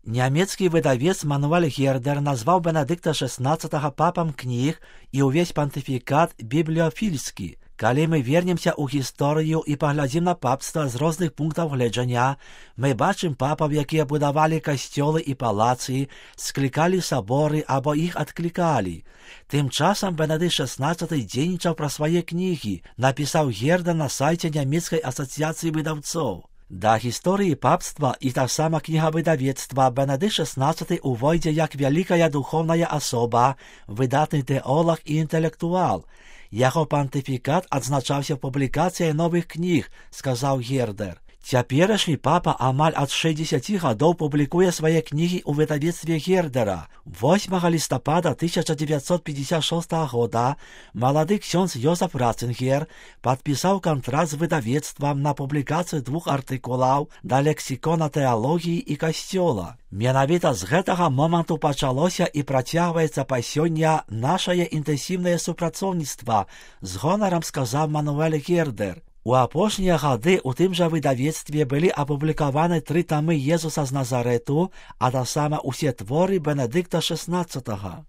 Нямецкі выдавец Мануэль Гердер назваў Бенедыкта XVI папам кніг і ўвесь пантыфікат бібліяфільскі. Калі мы вернемся ў гісторыю і паглядзім на папства з розных пунктаў гледжання, мы бачым папаў, якія будавалі касцёлы і палацы, склікалі саборы або іх адклікалі. Тым часам Бенедыкт XVI дзейнічаў пра свае кнігі, напісаў Гердер на сайце нямецкай асацыяцыі выдаўцоў. Да гісторыі папства і таксама кнігавыдавецтва Бенедыкт XVI увойдзе як вялікая духовная асоба, выдатны тэолаг і інтэлектуал. Яго пантыфікат адзначаўся публікацыяй новых кніг, сказаў Гердер. Цяперашні папа амаль ад 60 гадоў публікуе свае кнігі ў выдавецтве Гердера. 8 лістапада 1956 года малады ксёндз Йозеф Ратцингер падпісаў кантракт з выдавецтвам на публікацыю 2 артыкулаў да лексікона тэалогіі і касцёла. Менавіта з гэтага моманту пачалося і працягваецца па сёння нашае інтэнсіўнае супрацоўніцтва, з гонарам сказаў Мануэль Гердер. У апошнія гады ў тым жа выдавецтве былі апублікаваны 3 тамы Езуса з Назарэту, а таксама ўсе творы Бенедыкта XVI.